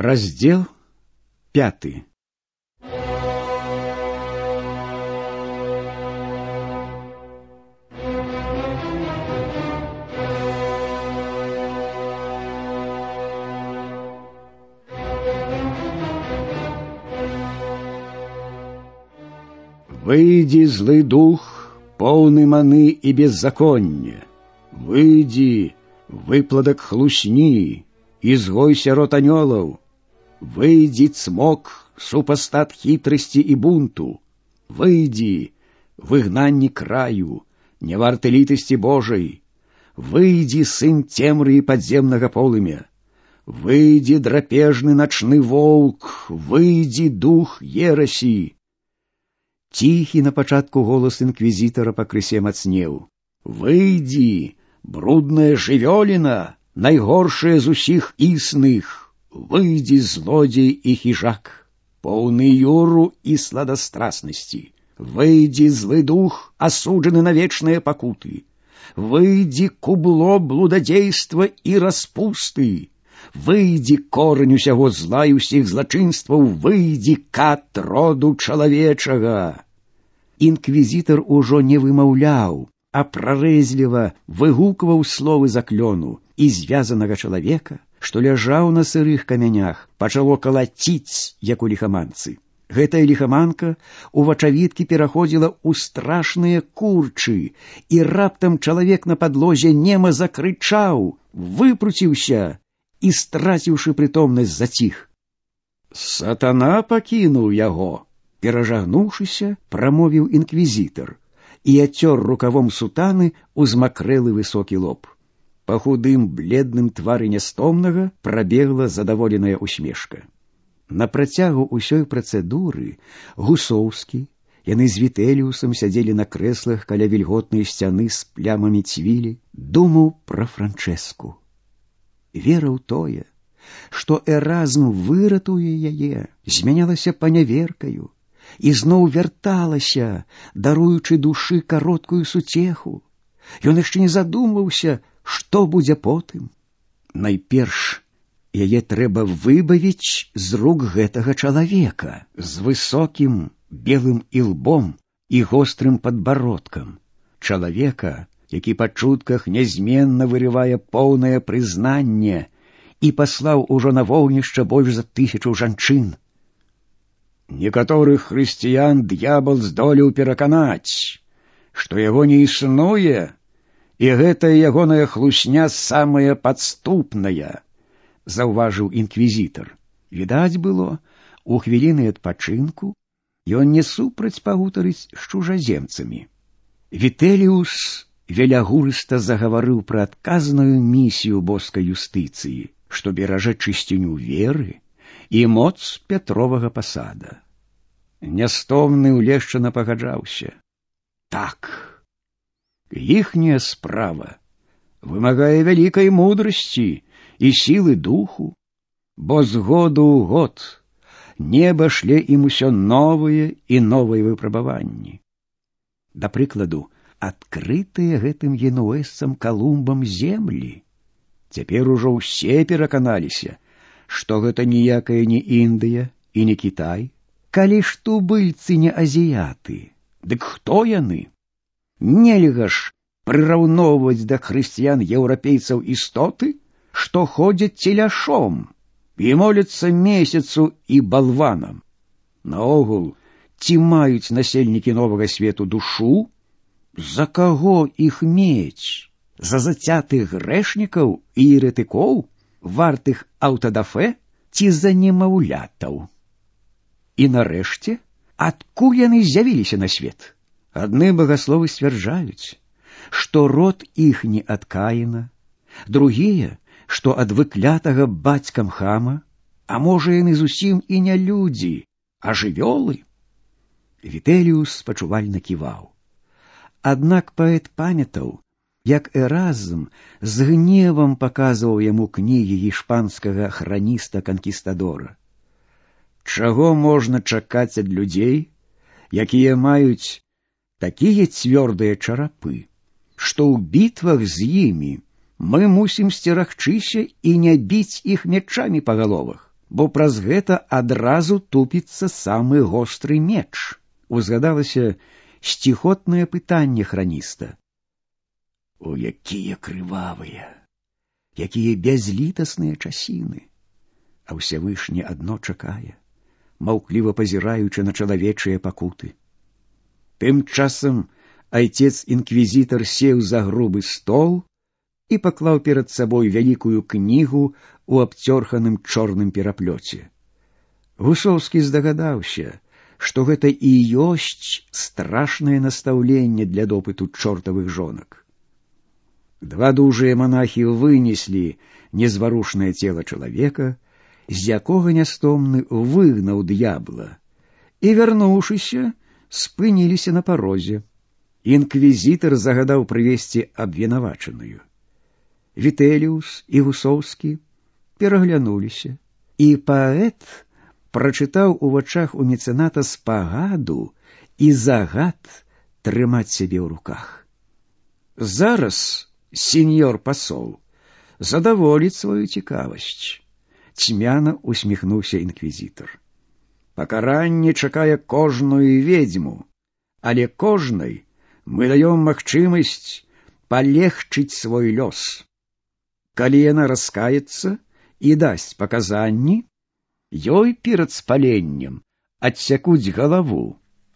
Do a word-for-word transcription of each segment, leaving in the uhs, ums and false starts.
Раздел пятый. Выйди, злый дух, полный маны и беззакония. Выйди, выпладок хлусни, изгойся рот анёлаў. Выйди, цмок, супостат хитрости и бунту. Выйди, выгнанни краю, не варты литости Божией. Выйди, сын темры и подземного полымя. Выйди, драпежный ночный волк, выйди, дух ераси. Тихий на пачатку голос инквизитора пакрысе мацнеў. Выйди, брудная жывёліна, найгоршая з усіх існых. Выйди, злодей и хижак, полный юру и сладострастности. Выйди, злый дух, осужденный на вечные покуты. Выйди, кубло блудодейства и распусты. Выйди, корень усяго зла і ўсіх злачынстваў, выйди, кат роду чалавечага. Інквізітар ужо не вымаўляў, а прарэзліва выгукваў словы заклёну, і звязанага чалавека, што ляжаў на сырых камянях, пачало калаціць, як у ліхаманцы. Гэтая ліхаманка у вачавіткі пераходзіла ў страшныя курчы, і раптам чалавек на падлозе нема закрычаў, выпруціўся і, страціўшы прытомнасць, заціх. Сатана пакінуў яго, перажагнуўшыся, прамовіў інквізітар і ацёр рукавом сутаны узмакрэлы высокі лоб. Па худым, бледным твары нястомнага прабегла задаволеная усмешка. На працягу ўсёй працэдуры Гусоўскі, яны з Вітэліусам сядзелі на крэслах каля вільготнай сцяны з плямамі цвілі, думаў пра Франчэску. Вера ў тое, што Эразм выратуе яе, змянялася паняверкаю і зноў вярталася, даруючы душы кароткую суцеху. Ён яшчэ не задумваўся, што будзе потым. Найперш, яе трэба выбавіць з рук гэтага чалавека з высокім белым ілбом і гострым падбародкам. Чалавека, які па чутках нязменна вырывае поўнае прызнанне і паслаў ужо на вогнішча больш за тысячу жанчын. Некаторых хрысціян д'ябал здолеў пераканаць, што яго не існуе, і гэтая ягоная хлусня самая падступная, заўважыў інквізітар. Відаць было, у хвіліны адпачынку ён не супраць пагутарыць з чужаземцамі. Вітэліус велягурыста загаварыў пра адказную місію боскай юстыцыі, што беражэ чысціню веры і моц Пятровага пасада. Нястомны ўлешчана пагаджаўся. Так, іхняя справа вымагае вялікай мудрасці і сілы духу, бо з году ў год неба шле ім усё новыя і новыя выпрабаванні. Да прыкладу, адкрытыя гэтым генуэзцам Калумбам землі. Цяпер ужо ўсе пераканаліся, што гэта ніякая не Індыя і не Кітай. Калі ж тубыльцы не азіяты, дык хто яны? Нельга ж прыраўноўваць да хрысціян еўрапейцаў істоты, што ходзяць целяшом і моляцца месяцу і балванам. Наогул, ці маюць насельнікі новага свету душу? За каго іх мець? За зацятых грэшнікаў і еретыкоў, вартых аўтадафэ, ці за немаўлятаў? І нарэшце, адкуль яны з'явіліся на свет? Адны багасловы сцвярджаюць, што род іхні ад Каіна, другія, што ад выклятага бацькам Хама, а можа яны зусім і не людзі, а жывёлы? Вітэліус спачувальна ківаў. Аднак паэт памятаў, як Эразм з гневам паказваў яму кнігі іспанскага храніста-канкістадора. Чаго можна чакаць ад людзей, якія маюць такія цвёрдыя чарапы, што ў бітвах з імі мы мусім сцерагчыся і не біць іх мячамі па галовах, бо праз гэта адразу тупіцца самы гостры меч. Узгадалася сціхотнае пытанне храніста. О, якія крывавыя, якія бязлітасныя часіны! А ўсявышні адно чакае, маўкліва пазіраючы на чалавечыя пакуты. Тым часам айцец-інквізітар сеў за грубы стол і паклаў перад сабой вялікую кнігу у абцёрханым чорным пераплёце. Гусоўскі здагадаўся, што гэта і ёсць страшнае настаўленне для допыту чортавых жонак. Два дужыя манахі вынеслі незварушнае цела чалавека, з якога нястомны выгнаў д'ябла, і, вярнуўшыся, спыніліся на парозе. Інквізітар загадаў прывесці абвінавачаную. Вітэліус і Гусоўскі пераглянуліся, і паэт прачытаў у вачах у мецэната спагаду і загад трымаць сябе ў руках. Зараз, сеньор пасол, задаволіць сваю цікавасць. Цьмяна усміхнуўся інквізітар. Пакаранне чакае кожную ведзьму, але кожнай мы даём магчымасць палегчыць свой лёс. Калі яна раскаецца і дасць паказанні, ёй перад спаленнем адсякуць галаву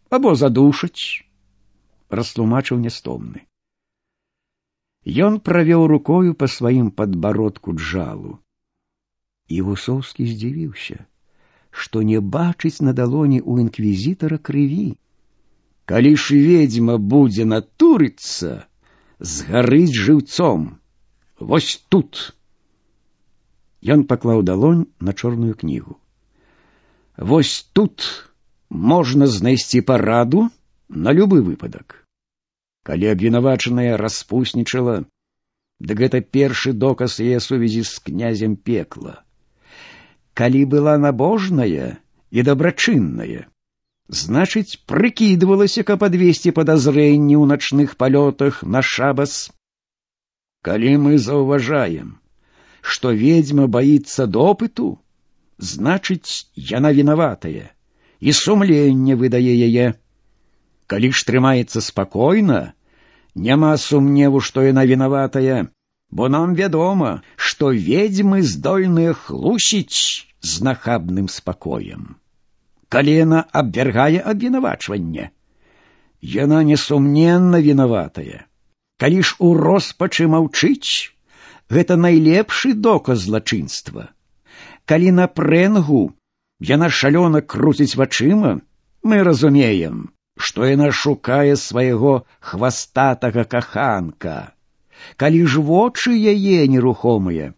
або задушаць, растлумачыў нястомны. Ён правёў рукою па сваім падбародку джалу. І Гусоўскі здзівіўся, што не бачыць на далоні ў інквізітара крыві. Калі ж ведзьма будзе натурыцца, згарыць жыўцом. Вось тут. Ён паклаў далонь на чорную кнігу. Вось тут можна знайсці параду на любы выпадак. Калі абвінавачаная распуснічала, дык гэта першы доказ яе сувязі з князем пекла. Калі была набожная і дабрачынная, значыць, прыкідвалася, каб адвесці падазрэнні ў начных палётах на шабас. Калі мы заўважаем, што ведзьма баіцца допыту, значыць, яна вінаватая, і сумленне выдае яе. Калі ж трымаецца спакойна, няма сумневу, што яна вінаватая, бо нам вядома, што ведзьмы здольныя хлусіць з нахабным спакоем. Калі яна абвяргае абвінавачванне, яна несумненна вінаватая. Калі ж у роспачы маўчыць, гэта найлепшы доказ злачынства. Калі на прэнгу яна шалёна круціць вачыма, мы разумеем, што яна шукае свайго хвастатага каханка. Калі ж вочы яе нерухомыя,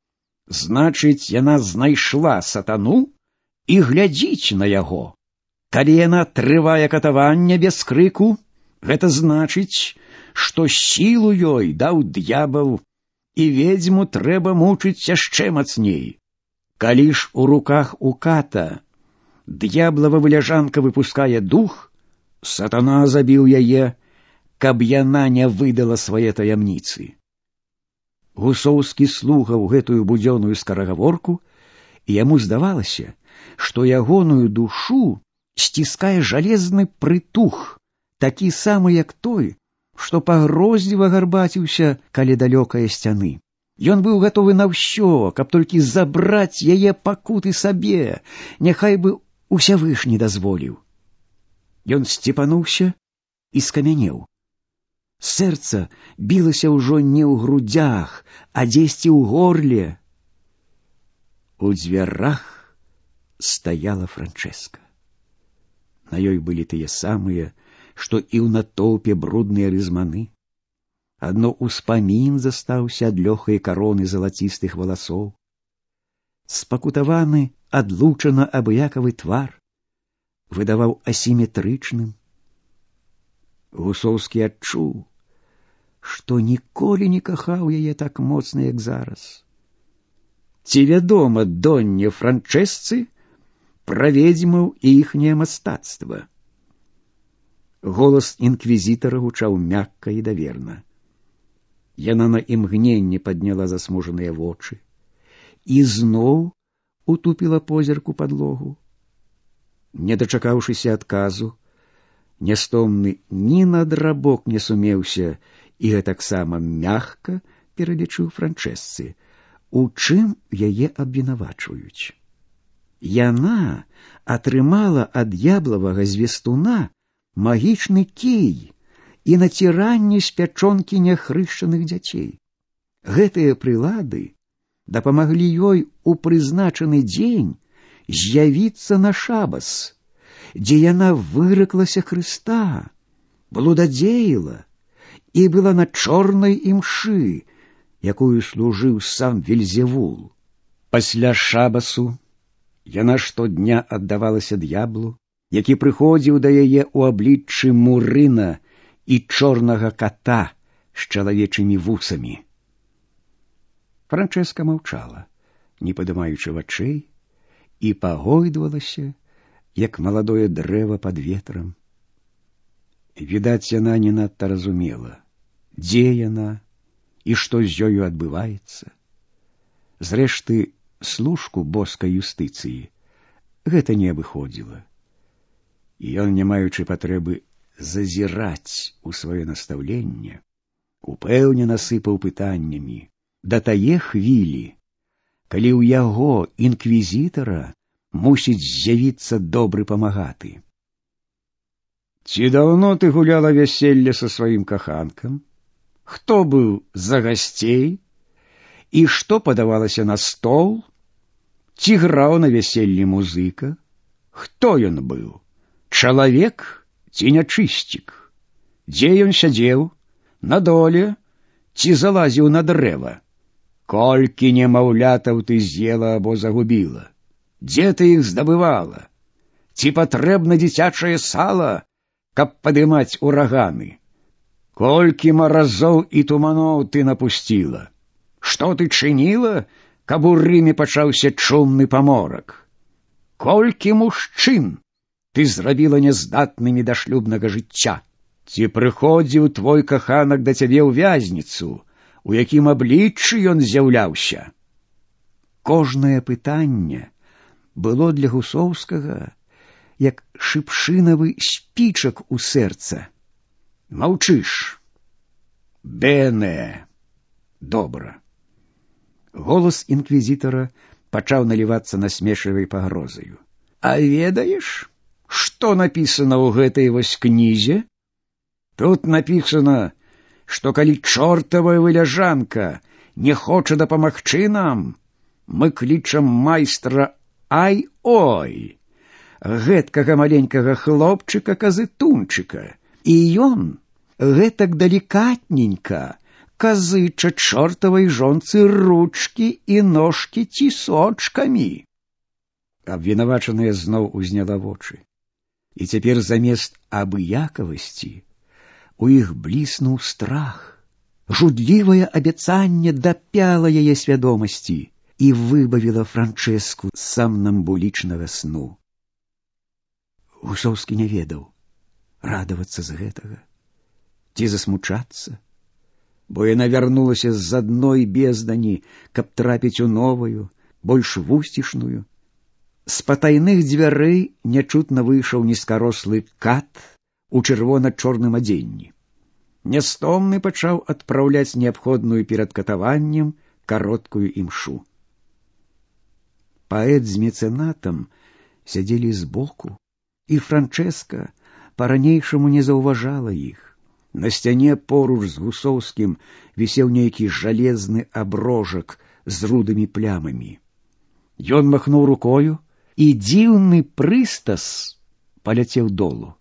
значыць, яна знайшла сатану і глядзіць на яго. Калі яна трывае катаванне без крыку, гэта значыць, што сілу ёй даў д'ябал, і ведзьму трэба мучыць яшчэ мацней. Калі ж у руках у ката д'яблава вылязанка выпускае дух, сатана забіў яе, каб яна не выдала свае таямніцы. Гусоўскі слухаў гэтую будзённую скарагаворку, і яму здавалася, што ягоную душу сціскае жалезны прытух, такі самы, як той, што пагрозліва гарбаціўся каля далёкае сцяны. Ён быў гатовы на ўсё, каб толькі забраць яе пакуты сабе, няхай бы ўсявышні дазволіў. Ён сціпануўся і скамянеў. Сэрца білася ўжо не ў грудзях, а дзесьці ў горле. У дзвярах стаяла Франчэска. На ёй былі тыя самыя, што і ў натоўпе брудныя рызманы. Адно ўспамін застаўся ад лёгкай кароны залацістых валасоў. Спакутаваны, адлучана абыякавы твар выдаваў асіметрычным. Гусоўскі адчуў, што ніколі не кахаў яе так моцна, як зараз. Ці вядома донне Франчэсцы пра ведзьмаў і іхняе мастацтва? Голас інквізітара гучаў мякка і даверна. Яна на імгненне падняла засмужаныя вочы, і зноў утупіла позірку падлогу. Не дачакаўшыся адказу, нястомны ні на драбок не сумеўся і гэтаксама мякка пералічыў Франчэсцы, у чым яе абвінавачваюць. Яна атрымала ад д'яблавага звестуна магічны кій і націранне з пячонкі няхрышчаных дзяцей. Гэтыя прылады дапамаглі ёй у прызначаны дзень з'явіцца на шабас, дзе яна выраклася Хрыста, блудадзеяла і была на чорнай імшы, якую служыў сам Вельзевул. Пасля шабасу яна штодня аддавалася д'яблу, які прыходзіў да яе ў абліччы мурына і чорнага ката з чалавечымі вусамі. Франчэска маўчала, не падымаючы вачэй, і пагойдвалася, як маладое дрэва пад ветрам. Відаць, яна не надта разумела, дзе яна і што з ёю адбываецца. Зрэшты, служку боскай юстыцыі гэта не абыходзіла. І ён, не маючы патрэбы зазіраць у сваё настаўленне, упэўнена сыпаў пытаннямі да тае хвілі, калі ў яго, інквізітара, мусіць з'явіцца добры памагаты. Ці даўно ты гуляла вяселле са сваім каханкам? Хто быў за гасцей? І што падавалася на стол? Ці граў на вяселлі музыка? Хто ён быў? Чалавек ці нячысцік? Дзе ён сядзеў? На доле? Ці залазіў на дрэва? Колькі немаўлятаў ты з'ела або загубіла? Дзе ты іх здабывала? Ці патрэбна дзіцячае сала, каб падымаць ураганы? Колькі маразоў і туманоў ты напусціла? Што ты чыніла, каб у Рыме пачаўся чумны паморак? Колькі мужчын ты зрабіла няздатнымі да шлюбнага жыцця? Ці прыходзіў твой каханак да цябе ў вязніцу, у якім абліччы ён з'яўляўся? Кожнае пытанне было для Гусоўскага як шыпшынавы спічак у сэрца. Маўчыш. Бене. Добра. Голас інквізітара пачаў налівацца насмешлівай пагрозаю. А ведаеш, што напісана ў гэтай вось кнізе? Тут напісана, што калі чортавая вылязанка не хоча дапамагчы нам, мы клічам майстра Ай-Ой, гэткага маленькага хлопчыка-казытунчыка, і ён гэтак далікатненька казыча чортавай жонцы ручкі і ножкі цісочкамі. Абвінавачаная зноў узняла вочы, і цяпер замест абыякавасці у іх бліснуў страх. Жудлівае абяцанне дапяла яе свядомасці і выбавіла Франчэску з самнамбулічнага сну. Гусоўскі не ведаў, радавацца з гэтага ці засмучацца, бо яна вярнулася з адной бездані, каб трапіць у новую, больш вусцішную. З патайных дзвярэй нячутна выйшаў нізкарослы кат у чырвона-чорным адзенні. Нястомны пачаў адпраўляць неабходную перад катаваннем кароткую імшу. Паэт з мецэнатам сядзелі збоку, і Франчэска па-ранейшаму не заўважала іх. На сцяне поруч з Гусоўскім вісеў нейкі жалезны аброжак з рудымі плямамі. Ён махнуў рукою, і дзіўны прыстас паляцеў долу.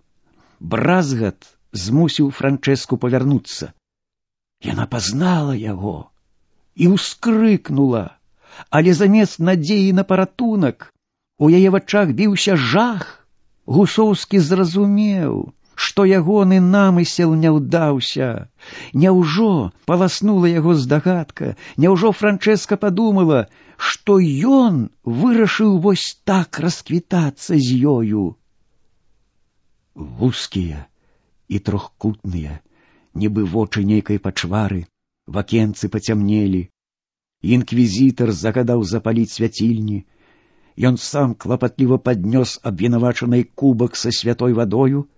Бразгат змусіў Франчэску павярнуцца. Яна пазнала яго і ўскрыкнула, але замест надзеі на паратунак у яе вачах біўся жах. Гусоўскі зразумеў, што ягоны намысел не ўдаўся. Няўжо паласнула яго здагадка, няўжо Франчэска падумала, што ён вырашыў вось так расквітацца з ёю. Вузкія і трохкутныя, нібы вочы нейкай пачвары, вакенцы пацямнелі. Інквізітар загадаў запаліць свяцільні, Ён сам клапатліва паднёс абвінавачанай кубак са святой вадою,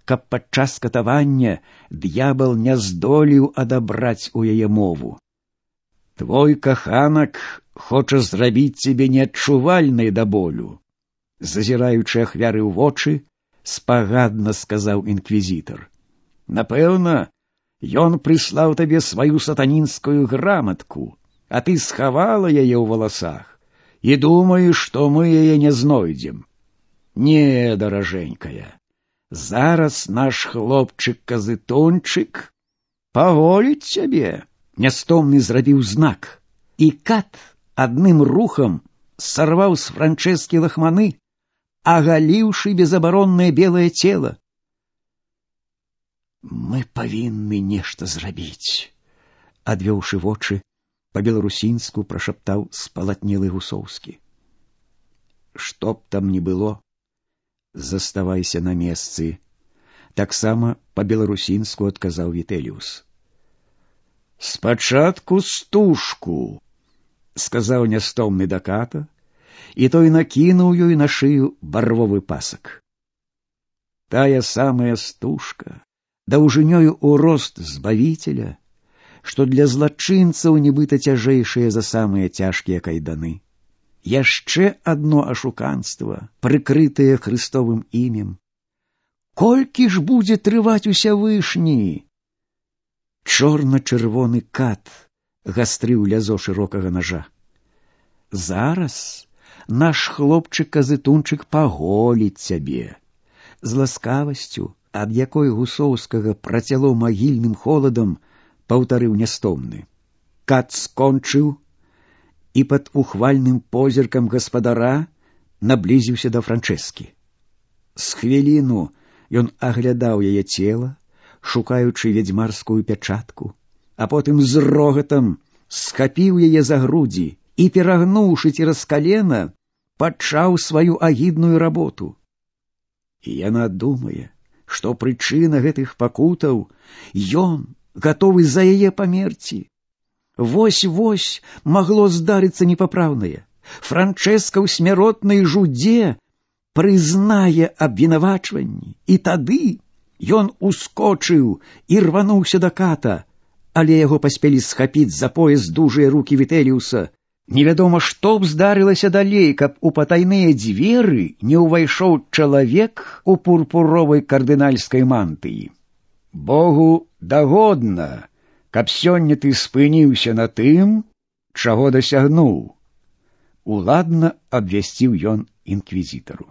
каб падчас катавання д'ябал не здолеў адабраць у яе мову. «Твой каханак хоча зрабіць цябе неадчувальнай да болю», зазіраючы ахвяры ў вочы, спагадна сказаў інквізітар. «Напэўна, ён прыслаў табе сваю сатанінскую граматку, а ты схавала яе ў валасах і думаеш, што мы яе не знойдзем. Не, даражэнькая, зараз наш хлопчык-казытончык паголіць цябе». Нястомны зрабіў знак, і кат адным рухам сарваў з Франчэскі лахманы, агаліўшы безабароннае белае цела. «Мы павінны нешта зрабіць», адвёўшы вочы, па-беларусінску прашаптаў спалатнелы Гусоўскі. «Што б там ні было, заставайся на месцы», таксама па-беларусінску адказаў Вітэліус. «Спачатку стужку», сказаў нястомны да ката, і той накінуў ёй на шыю барвовы пасак. Тая самая стужка, даўжынёю ў рост збавіцеля, што для злачынцаў нібыта цяжэйшыя за самыя цяжкія кайданы. Яшчэ адно ашуканства, прыкрытае Хрыстовым імем. Колькі ж будзе трываць Усявышні? Чорна-чырвоны кат гастрыў лязо шырокага нажа. «Зараз наш хлопчык-казытунчык паголіць цябе». З ласкавасцю, ад якой Гусоўскага працяло магільным холадам, паўтарыў нястомны. Кат скончыў і пад ухвальным позіркам гаспадара наблізіўся да Франчэскі. З хвіліну ён аглядаў яе цела, шукаючы вядзьмарскую пячатку, а потым з рогатам схапіў яе за грудзі і, перагнуўшы цераз калена, пачаў сваю агідную работу. І яна думае, што прычына гэтых пакутаў ён гатовы за яе памерці. Вось-вось магло здарыцца непапраўнае. Франчэска ў смяротнай жудзе прызнае абвінавачванні, і тады ён ускочыў і рвануўся да ката, але яго паспелі схапіць за пояс дужыя рукі Вітэліуса. Невядома, што б здарылася далей, каб у патайныя дзверы не ўвайшоў чалавек у пурпуровай кардынальскай мантыі. «Богу дагодна, каб сёння ты спыніўся на тым, чаго дасягнуў», уладна абвясціў ён інквізітару.